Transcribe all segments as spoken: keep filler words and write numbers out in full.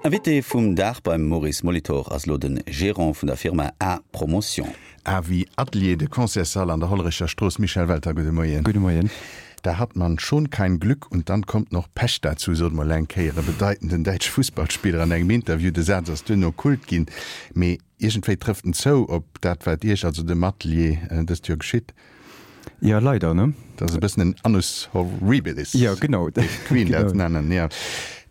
Invité vum Dag beim Maurice Molitor ass elo de Gérant vun der Firma A Promotion. A wéi Atelier, de Concertssall an der Hollerecher Strooss. Michel Welter, gudde Moien. Gudde Moien. Da hat man schon kein Glück und dann kommt noch Pech dazu, sot mol eng Kéier e bedeitenden däitsche Fussballspiller an engem Interview. De Saz ass duerno Kult ginn, mee iergendwéi trëfft en zou op dat, wat Iech, also dem Atelier, dëst Joer geschitt. Ja, leider, ne? Dat ass e bëssen en Annus horribilis. Ja, genau. Géif d'Queen dat nennen, ja.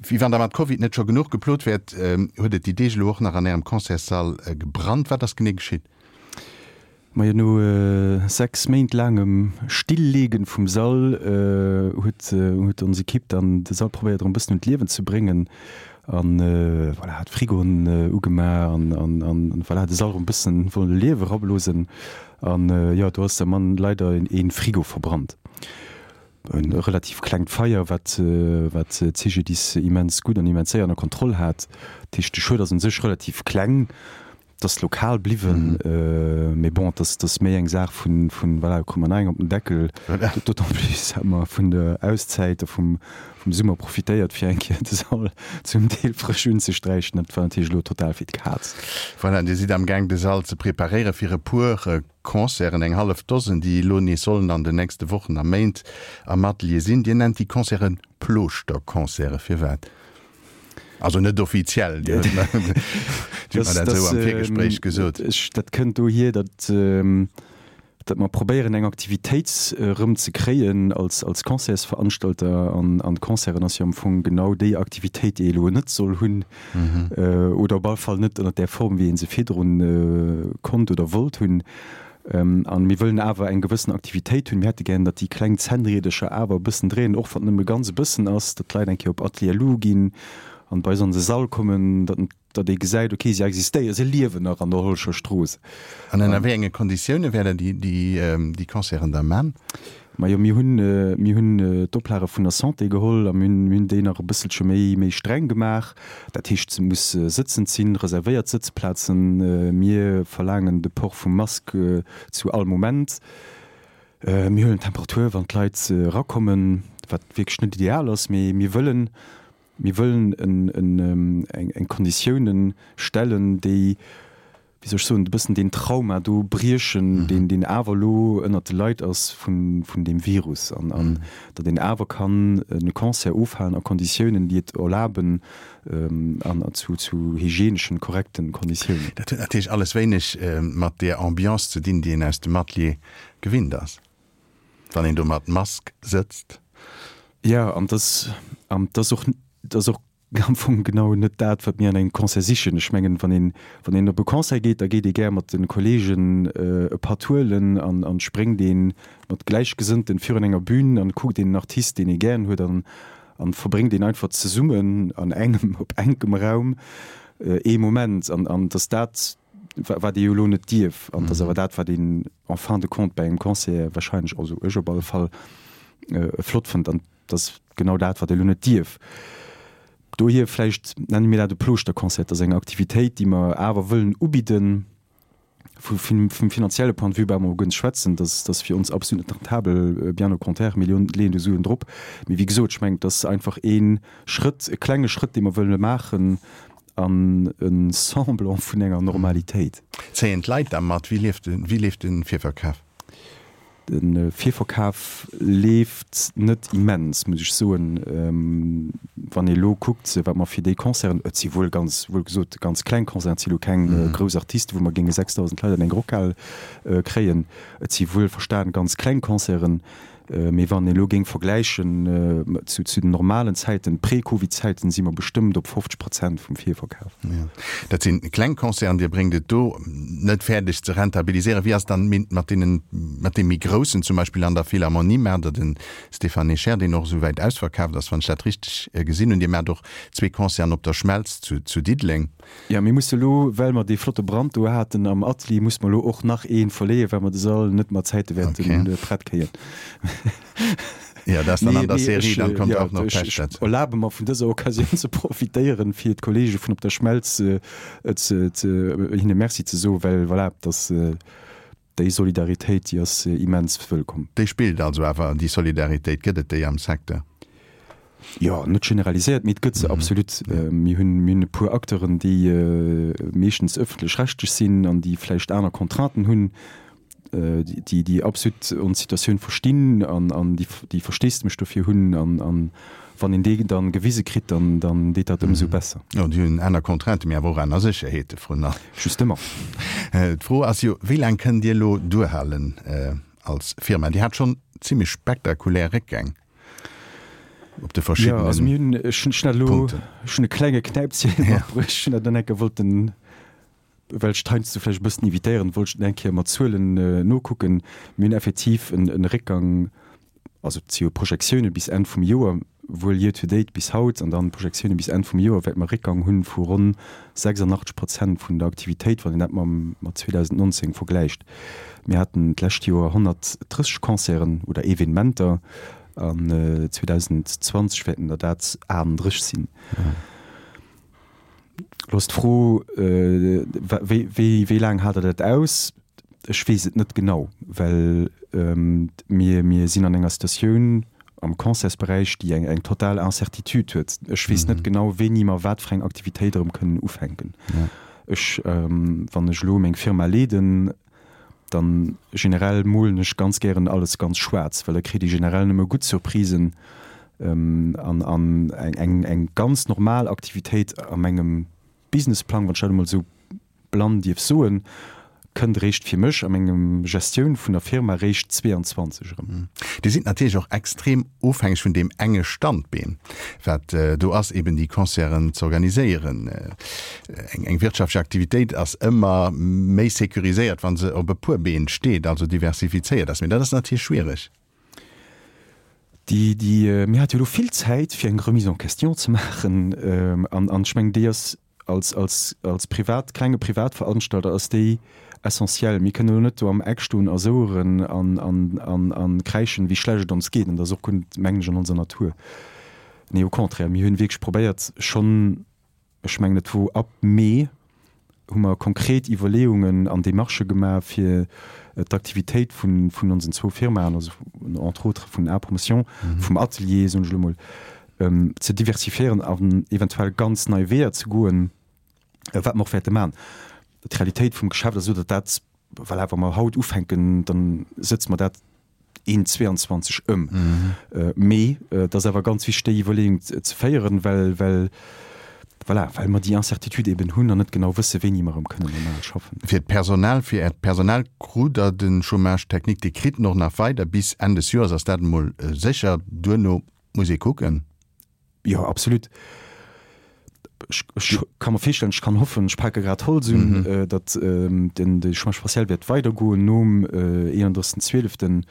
Wéi wann der mat Covid net scho genuch geplot wäert, huet et déi Deeg elo och nach an Ärem Concertssall gebrannt. Wat ass genee geschitt? Majo, no sechs Méint laangem Stillleegen vum Sall huet huet ons Equipe dann de Sall probéiert erëm e bëssen un d'Liewen ze bréngen an voilà, hat Frigoen ugemaach an an an voilà, de Sall erëm e bëssen wolle Liewe erablosen. An jo, do ass der Mann leider een Frigo verbrannt. E relativ klengt Feier, wat wat d'CGDIS immens gutt an immens séier ënner Kontroll hat. Dat heescht, de Schued ass un sech relativ kleng. Et ass lokal bliwwen, mee bon, et ass, et ass méi eng Saach vun, vun, voilà, krute mer nach eng op den Deckel. D'autant plus hat mer vun der Auszäit a vum, vum Summer profitéiert, fir eng Kéier de Sall zum Deel frësch unzesträichen. Dat war natierlech elo total fir d'Kaz. Voilà, Dir sidd amgaang, de Sall ze preparéiere fir e puer Concerten, eng hallef Dosen, déi elo nees sollen an den nächste Wochen a Méint am Atelier sinn. Dir nennt déi Concerte Plooschter-Concerte. Firwat? Also net offiziell, Dir hutt mer dat esou am Virgespréich gesot. Dat kënnt dohier, datt datt mer probéieren eng Aktivitéit erëm ze kréien als als Concertsveranstalter. An an d'Concerten ass jo am Fong genau déi Aktivitéit, déi ee elo net soll hunn, oder op alle Fall net ënner där Form, wéi ee se virdrun konnt oder wollt hunn. An mir wëllen awer eng gewëssen Aktivitéit hunn. Mir hätte gären, datt déi kleng Zännriedercher awer e bëssen dréinen, och wann et nëmme ganz e bëssen ass, datt d'Leit eng Kéier op Atelier Lou ginn an bei eis an de Sall kommen, datt datt ee gesäit, okay, si existéieren, si liewen nach an der Hollerecher Strooss. An ënner wéi enge Konditioune wäert Der déi déi Concerten da man? Majo, mir hunn mir hunn d'Oplage vun der Santé geholl a mir hunn mir hunn déi nach e bësselche méi méi streng gemaach. Dat heescht, se muss sëtzend sinn, reservéiert Sëtzplazen. Mir verlaangen de Port vum Mask zu all Moment. Mir huelen d'Temperatur, wann d'Leit erakommen, wat wierklech net ideal ass, mee mir wëllen mir wëllen en en eng eng Konditiounen stellen, déi, wéi soll ech soen, e bëssen deen Trauma do briechen, deen, deen awer elo ënnert de Leit ass vun, vun deem Virus an, an datt een awer kann e Concert ofhalen a Konditiounen, déi et erlaben an zu, zu hygieneschen, korrekten Konditiounen. Dat huet natierlech alles wéineg mat där Ambiance ze dinn, déi een aus dem Atelier gewinnt ass, wann een do mat Mask sëtzt. Jo, an dass, an dass och, dass och am Fong genau net dat, wat mir an engem Concert sichen. Ech mengen, wann een, wann een op e Concert geet, da geet ee gär mat de Kolleegen e Patt huelen an, an spréngt ee mat Gläichgesënnten virun enger Bühn an kuckt een Artist, deen ee gären huet an, an verbréngt een einfach zesummen an engem, op enkem Raum ee Moment. An, an dass dat, wat ee jo elo net dierf, an dass awer dat, wat een en fin de compte bei engem Concert wahrscheinlech, also ech op alle Fall, flott fënnt. An dass genau dat, wat ee elo net dierf. Dohier vläicht nenne mir dat e Plooschter-Concert. Dat ass eng Aktivitéit, déi mer awer wëllen ubidden. Vu vum finanzielle Point de vue brauche mer guer net schwätzen, dat ass fir ons absolut net rentabel, bien au contraire, mir leeën do Suen drop. Mee wéi gesot, ech mengen, et ass einfach ee Schrëtt, e klenge Schrëtt, dee mer wëlle maachen an e Semblant vun enger Normalitéit. Zéien d'Leit da mat? Wéi leeft de Virverkaf? De Virverkaf leeft net immens, muss ech soen. Wann ee elo kuckt, wat mer fir déi Concerten, et si wuel ganz, wuel gesot ganz kleng Concerten, et si elo keng grouss Artisten, wou mer géinge sechsdausend Leit an eng Rockhal kréien, et si wuel verstan ganz kleng Concerten, Mee wann een elo géing vergläichen zu den normalen Zäiten, Prä-Covid-Zäiten, si mer bestëmmt op fofzeg Prozent vum Virverkaf. Jo, dat sinn kleng Concerten. Dir bréngt et do net fäerdeg ze rentabiliséieren. Wéi ass et dann mat deenen, mat deem méi groussen, zum Beispill an der Philharmonie maacht Der den Stéphane Echer, deen och esou wäit ausverkaaft ass, wann ech dat richteg gesinn hunn. Dir maacht och zwee Concerten op der Schmelz zu Diddeleng. Jo, mir musse elo, well mer dee flotte Brand do haten am Atelier, musse mer elo och nach ee verleeën, well mer de Sall net mat Zäite wäerte prett kréien. Jo, dat ass dann an der Serie, dann kommt och nach Pech Ech erlabe mer vun dëser Occasioun ze profitéieren, fir d'Kollege vun Op der Schmelz ze, hinne Merci ze soen, well voilà, dass déi Solidaritéit, déi ass immens wëllkomm. Déi spillt also awer, déi Solidaritéit, gëtt et déi am Secteur? Jo, net generaliséiert, mee et gëtt se absolut. Mir hunn, mir hunn e puer Acteuren, déi meeschtens ëffentlech-rechtlech sinn an déi vläicht aner Contrainten hunn, déi, déi absolut ons Situatioun verstinn an, an déi, déi Versteesdemech dofir hunn. An, an wann een dee dann gewise kritt, dann, dann deet dat ëmsou besser. Jo, déi hunn aner Contrainten, mee awer och aner Sécherheete vrun allem. Justement. D'Fro ass jo, Wéi laang kënnt Dir elo duerhalen als Firma? Dir hat schonn zimmlech spektakulär Réckgäng. Op de verschiddenen Ja, also mir hunn, ech hunn schnell elo, Punkten. ech hunn e klenge Knäipchen Ja. matbruecht, ech hunn dat dann eng Kéier wollten, well ech d'heiansdo vläicht e bëssen evitéieren, wollt ech et eng Kéier mat Zuelen nokucken. Mir hunn effektiv en en Réckgang, also et si jo Projektioune bis Enn vum Joer, wuel year to date bis haut, an dann Projektioune bis Enn vum Joer wäerte mer e Réckgang hunn vu ronn sechsundachtzeg Prozent vun der Aktivitéit, wann een dat mam mat zweedausendnonzéng vergläicht. Mir haten d'lescht Joer honnertdrësseg Concerten oder Evenementer. An zweedausendzwanzeg wäerten der dat aachtunddrësseg sinn. Elo ass d'Fro, wéi laang haalt Der dat aus? Ech weess et net genau, well mir, mir sinn an enger Situatioun am Concertsberäich, déi eng, eng total Incertitude huet. Ech weess net genau, wéini mer wat fir eng Aktivitéit erëm kënnen ufänken. Ech, wann ech elo meng Firma leeden, Dann generell molen ech ganz gären alles ganz schwaarz, well da kritt ee generell nëmme gutt Surprisen an an eng eng ganz normal Aktivitéit a mengem Businessplang, wann ech dat emol esou blann dierf soen, kënnt eréischt fir mech a mengem Gestioun vun der Firma eréischt zweeanzwanzeg erëm. Dir sidd natierlech och extrem ofhängeg vun deem enge Standbeen, wat do ass, eben déi Concerten z'organiséieren. Eng wirtschaftlech Aktivitéit ass ëmmer méi sécuriséiert, wa se op e puer Been steet, also diversifizéiert ass. Mee dat ass natierlech schwiereg. Déi, déi, mir hate jo elo vill Zäit, fir eng Remise en question ze maachen. An, an ech mengen, déi ass als, als, als privat, klenge Privatveranstalter ass déi essentiell. Mir kënnen elo net do am Eck stoen a soueren an, an, an, an kräischen, wéi schlecht et ons geet. An dat ass och guer net, mengen ech, an onser Natur. Nee, au contraire, mir hunn wierklech probéiert schonn, ech mengen et wor ab Mee, hu mer konkret Iwwerleeungen an Demarchë gemaach, fir d'Aktivitéit vun, vun onsen zwou Firmaen, also entre autres vun A-Promotion, vum Atelier, soen ech elo mol, ze diversifiéieren an eventuell ganz nei Weeër ze goen, wat mer och wäerte maachen. D'Realitéit vum Geschäft ass esou, datt dat, voilà, wa mer haut ufänken, da sëtze mer dat een zweiundzwanzeg ëm. Mee et ass awer ganz wichteg, déi Iwwerleeung ze féieren, well, well, voilà, well mer déi Incertitude eben hunn an net genau wëssen, wéini mer erëm kënnen normal schaffen. Fir d'Personal, fir Äert Personal krut Der de Chômage technique, Dir kritt en och nach weider bis Enn des Joers, ass dat emol sécher. Duerno muss ee kucken. Jo, absolut. Ech, ech ka mer virstellen, ech kann hoffen, ech pake grad Holz un, datt den, de Chômage partiel wäert weidergoen nom eenunddrëssigsten Zwieleften,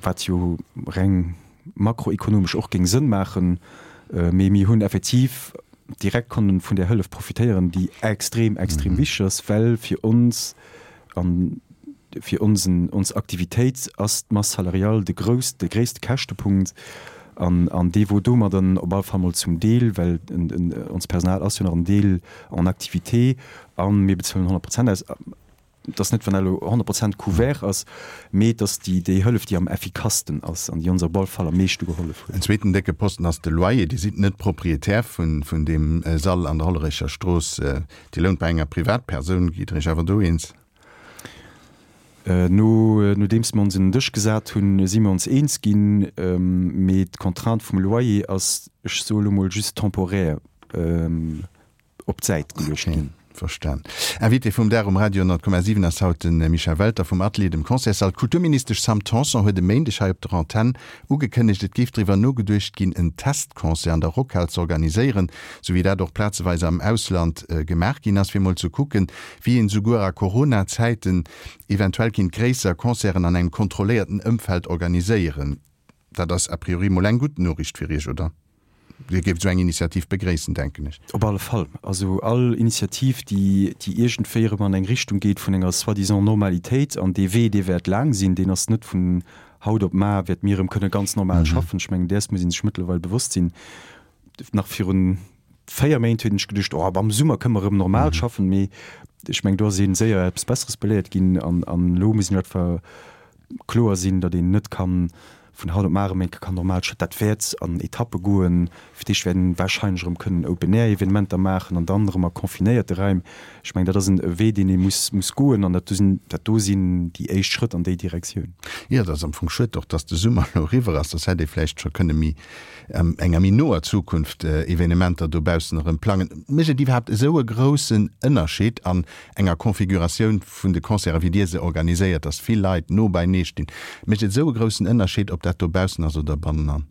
wat jo reng makroekonomesch och géing Sënn maachen. Mee mir hunn effektiv direkt konnen vun där Hëllef profitéieren, déi extrem, extrem wichteg ass, well fir ons an fir onsen, ons Aktivitéit ass d'Masse salariale de grouss, de gréisste Käschtepunkt an, an dee wor domadder op alle Fall mol zum Deel, well en, en, onst Personal ass jo nach en Deel en activité a mir bezuelen honnert Prozent aus. Et ass net, wann dat elo honnert Prozent couvert ass, mee et ass déi, déi Hëllef, déi am effikassten ass an déi ons op alle Fall am meeschte gehollef huet. En zweeten décke Posten ass de Loyer. Dir sidd net Proprietär vun, vun deem Sall an der Hollerecher Strooss. Dir lount bei enger Privatpersoun. Gitt Der Iech awer do eens? No, nodeems mer ons un den Dësch gesat hunn, si mer ons eens ginn. Mee d'Contrainte vum Loyer ass, ech soe lo mol, just temporaire op d'Säit geluecht ginn. Okay, verstan. Invité vum Dag um Radio honnert Komma siwen ass haut de Michel Welter vum Atelier, dem Concertssall. D'Kulturministesch Sam Tanson huet e Méindeg hei op der Antenn ugekënnegt, et géif driwwer nogeduecht ginn, en Testconcert an der Rockhal z'organiséieren, sou wéi dat och plazeweis am Ausland gemaach ginn ass, fir mol ze kucken, wéi een souguer a Corona-Zäiten eventuell kinnt gréisser Concerten an engem kontrolléierten Ëmfeld organiséieren. Dat ass a priori mol eng gutt Noriicht fir Iech, oder? Dir géift esou eng Initiativ begréissen, denken ech. Op alle Fall. Also all Initiativ, déi, déi iergendwéi erëm an eng Richtung geet vun enger soi-disant Normalitéit, an dee Wee, dee wäert laang sinn, deen ass net vun haut op mar, wäerte mir erëm kënne ganz normal schaffen. Ech mengen, däers muss ee sech mëttlerweil bewosst sinn. Nach virun véier Méint hunn ech geduecht, oh, am Summer kënne mer erëm normal schaffen, mee ech mengen, do ass ee séier eppes Besseres beléiert ginn an, an elo muss een etwa kloer sinn, datt een net ka vun haut op mar erëm eng Kéier kann normal statt. Dat wäert an Etappe goen. Fir d'éischt wäert een warscheinlech erëm kënnen Open-Air-Evenementer maachen an dann erëm a confinéierte Raim. Ech mengen, dat ass en Wee, deen ee muss, muss goen an dat do sinn, dat do sinn déi éischt Schrëtt an déi Direktioun. Jo, et ass am Fong schued och, dass de Summer elo eriwwer ass, soss hätt ee vläicht scho kënne méi an enger méi noer Zukunft Evenementer dobaussen erëm plangen. Mécht et iwwerhaapt esou e groussen Ënnerscheed an enger Configuratioun vun de Concerten, wéi Dir se organiséiert, dass vill Leit no beinee stinn, mécht et esou e groussen Ënnerscheed, ob dat dobaussen ass oder bannenan?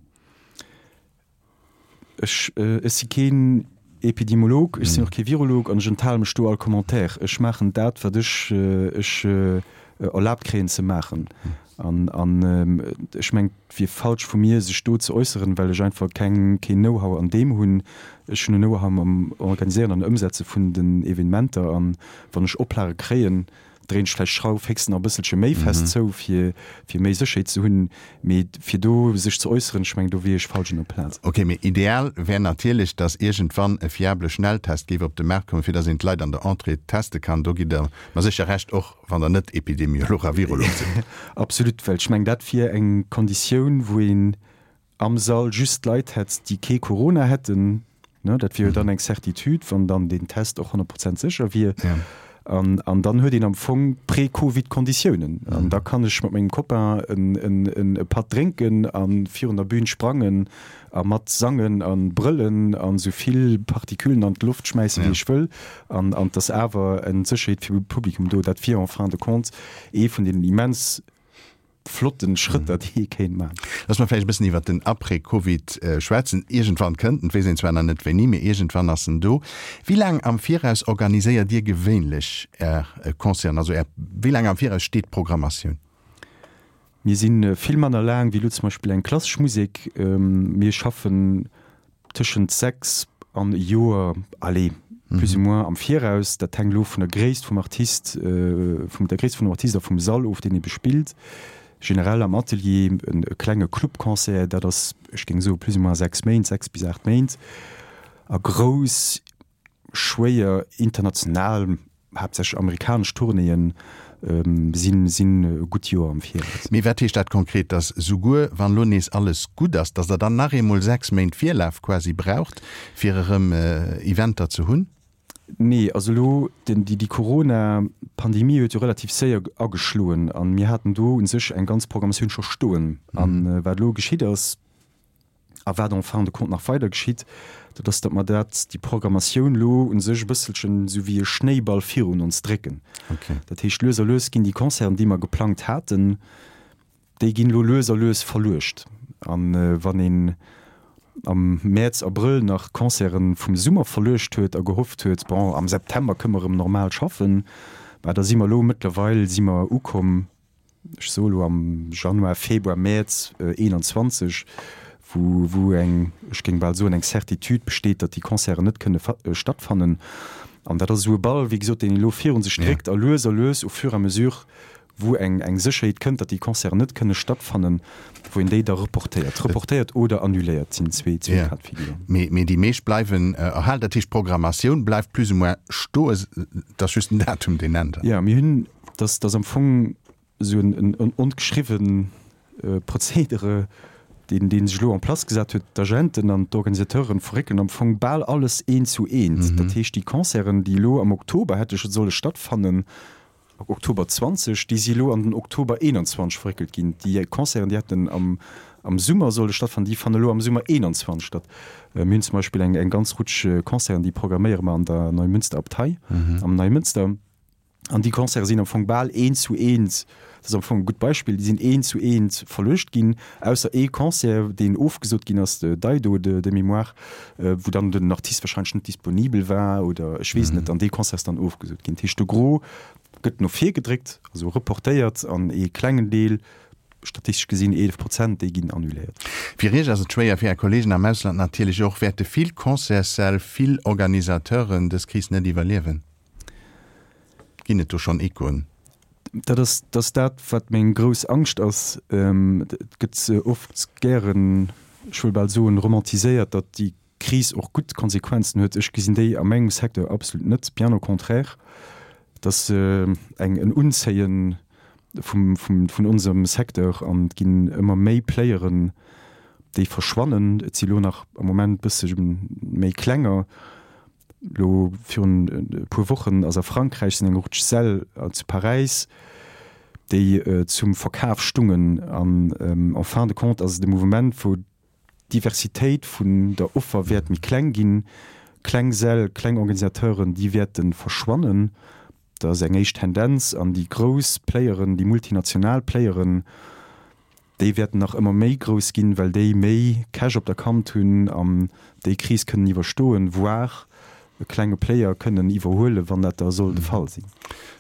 Ech, ech si keen Epidemiolog, ech sinn och kee Virolog an ech enthale mech do all Commentaire. Ech maachen dat, wat ech, ech erlaabt kréien ze maachen. An, an ech mengen, et wier falsch vu mir, sech do ze äusseren, well ech einfach keng, keen Know-how an deem hunn. Ech hunn en Know-how am Organiséieren an Ëmsetze vun den Evenementer. An wann ech Oplage kréien, dréinen ech vläicht d'Schrauf héchstens nach e bësselche méi fest zou, fir, fir méi Sécherheet ze hunn. Mee fir do sech ze äusseren, ech mengen, do wier ech falsch un der Plaz. Ok, mee ideal wär natierlech, dass iergendwann e fiable Schnelltest géif op de Maart kommen, fir dass een d'Leit an der Entrée teste kann. Do gitt Der mer sécher Recht, och wann Der net Epidemiolog a Virolog sidd. Absolut, well ech mengen, dat wier eng Konditioun, wou een am Sall just Leit hätt, déi kee Corona hätten. Dat wier jo dann eng Certitude, wann dann deen Test och honnert Prozent sécher wier. An, an dann huet een am Fong Prä-Covid-Konditiounen. An da kann ech mat mengem Copain en, en, en, e Patt drénken a virun der Bühn sprangen a mat sangen a brëllen an esou vill Partiküllen an d'Loft schmäissen, wéi ech wëll. An, an 't ass awer eng Sécherheet fir Publikum do. Dat wier en fin de compte ee vun deenen immens flotten Schrëtter, déi ee kéint maachen. Looss mer vläicht e bëssen iwwert den Après-Covid schwätzen. Iergendwann kënnt en, et weess een zwar nach net wéini, mee iergendwann ass en do. Wéi laang am Viraus organiséiert Dir gewéinlech Är Concerten? Also Är, wéi laang am Viraus steet d'Programmatioun? Mir si vill manner laang wéi elo zum Beispill eng klassesch Musek. Mir schaffen tëschent sechs an e Joer, allez, plus ou moins am Viraus. Dat hänkt elo vun der Gréisst vum Artist, vum der Gréisst vum Artist a vum Sall of, deen ee bespillt. Generell am Atelier e klenge Clubconcert, dat ass, ech géing soe plus ou moins sechs Méint, sechs bis aacht Méint. A grouss, schwéier international haaptsächlech amerikanesch Tournéeën sinn sinn e gutt Joer am Viraus. Mee wat heescht dat konkret, dass souguer wann elo nees alles gutt ass, dass Der dann nach eemol sechs Méint Virlaf quasi braucht, fir erëm Eventer ze hunn? Nee, also elo den déi déi Corona-Pandemie huet jo relativ séier ageschloen an mir haten do u sech eng ganz Programmatioun scho stoen. An wat elo geschitt ass, A wat en fin de compte nach weider geschitt, dat ass, datt mer dat, déi Programmatioun elo u sech e bësselchen esou wéi e Schnéiball virun ons drécken. Dat heescht, lues a lues ginn déi Concerten, déi mer geplangt haten, déi ginn elo lues a lues verluecht. A wann een am Mäerz, Abrëll nach Concerte vum Summer verluecht huet a gehofft huet, bon, am September kënne mer erëm normal schaffen, bah da si mer elo mëttlerweil si mer ukomm, ech soe elo am Januar, Februar, Mäerz eenanzwanzeg, wou, wou eng, ech géing bal soen, eng Certitude besteet, datt déi Concerten net kënne stattfannen. An dat ass esou e Ball, wéi gesot, deen een elo virun sech dréckt a lues a lues, au fur et à mesure, wou eng, eng Sécherheet kënnt, datt déi Concerten net kënne stattfannen, wou een déi da reportéiert. Reportéiert oder annuléiert sinn zwee, zwee Cas de figure. Mee, mee déi meescht bleiwen erhalen. Dat heescht, d'Programmatioun bleift plus ou moins stoen, et ass just den Datum, deen ännert. Jo, mir hunn, dass, dass am Fong esou en ongeschriwwen Prozedere, deen dee sech elo en place gesat huet, d'Agenten an d'Organisateuren verréckelen am Fong bal alles eent zu eent. Dat heescht, déi Concerten, déi elo am Oktober hätte solle stattfannen, Oktober zwanzeg, déi si elo an den Oktober eenanzwanzeg verréckelt ginn. Déi Concerten, déi hätten am am Summer solle stattfannen, déi fannen elo am Summer eenanzwanzeg statt. Mir hunn zum Beispill eng eng ganz Rutsch Concerten, déi programméiere mer an der Neumünster Abtei am Neimënster. An déi Concerte sinn am Fong bal eent zu eent, dat ass am Fong e gutt Beispill, déi sinn eent zu eent verluecht ginn, ausser ee Concert, deen ofgesot ginn ass, de Daido de de mémoire, wou dann den Artist wahrscheinlech net disponibel war oder ech weess et net, an dee Concert ass dann ofgesot ginn. Dat heescht, de Gros gëtt no vir gedréckt, also reportéiert, an ee klengen Deel, statistesch gesinn eelef Prozent, déi ginn annuléiert. Fir Iech ass et schwéier, fir Är Kolleegen am Ausland natierlech och. Wäerte vill Concertssäll, vill Organisateuren dës Kris net iwwerliewen? Ginn et do schonn Echoen? Dat ass, dat ass dat, wat meng grouss Angscht ass. Et gëtt oft gären, ech wëll bal soen, romantiséiert, datt déi Kris och gutt Konsequenzen huet. Ech gesinn déi a mengem Secteur absolut net, bien au contraire. Et ass eng, en Unzéien vum, vum, vun onsem Secteur an et ginn ëmmer méi Playeren, déi verschwannen. Et si lo nach am Moment bësse méi klenger. Lo virun e puer Wochen ass a Frankräich sinn eng Rutsch Säll zu Paräis, déi zum Verkaf stungen. An en fin de compte ass et e Mouvement, wou d'Diversitéit vun der Offer wäert méi kleng ginn. Kleng Säll, kleng Organisateuren, déi wäerte verschwannen. Dat ass eng éischt Tendenz. An déi grouss Playeren, déi multinational Playeren, déi wäerten nach ëmmer méi grouss ginn, well déi méi Cash op der Kant hunn an déi Kris kënnen iwwerstoen, voire e klenge Player kënnen iwwerhuelen, wann dat da soll de Fall sinn.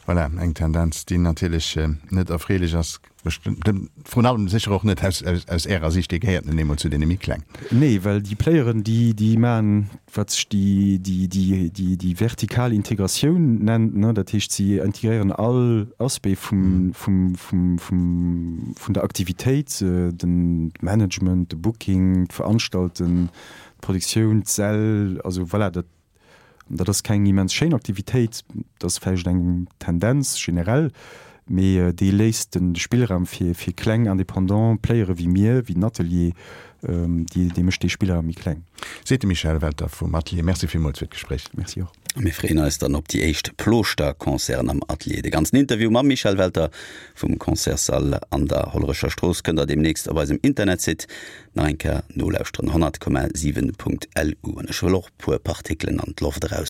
Voilà, eng Tendenz, déi natierlech net erfreelech ass, vrun allem sécher och net aus, aus, aus Ärer Sicht, Dir gehéiert nun eemol zu deene méi klengen. Nee, well déi Playeren, déi, déi maachen, wat sech déi, déi, déi, déi, déi vertikal Integratioun nennt, ne, dat heescht, si integréieren all Aspect vum, vum, vum, vum, vun der Aktivitéit, den Management, de Booking, d'Veranstalten, d'Produktioun, d'Säll, also voilà, dat, dat ass keng immens schéin Aktivitéit, dat ass vläicht eng Tendenz generell, mee déi léisst de Spillraum fir, fir kleng indépendant Playere wéi mir, wéi den Atelier, déi, dee mécht dee Spillraum méi kleng. Seet de Michel Welter vum Atelier. Merci villmools fir d'Gespréich. Merci och. A mir freeën eis dann op déi éischt Plooschter-Concerten am Atelier. De ganzen Interview mam Michel Welter vum Concertssall an der Hollerecher Strooss kënnt der deemnächst op eisem Internetsite nach eng Kéier nolauschteren, honnert Komma siwen Punkt LU. An ech wëll och puer Partikelen an d'Loft eraus.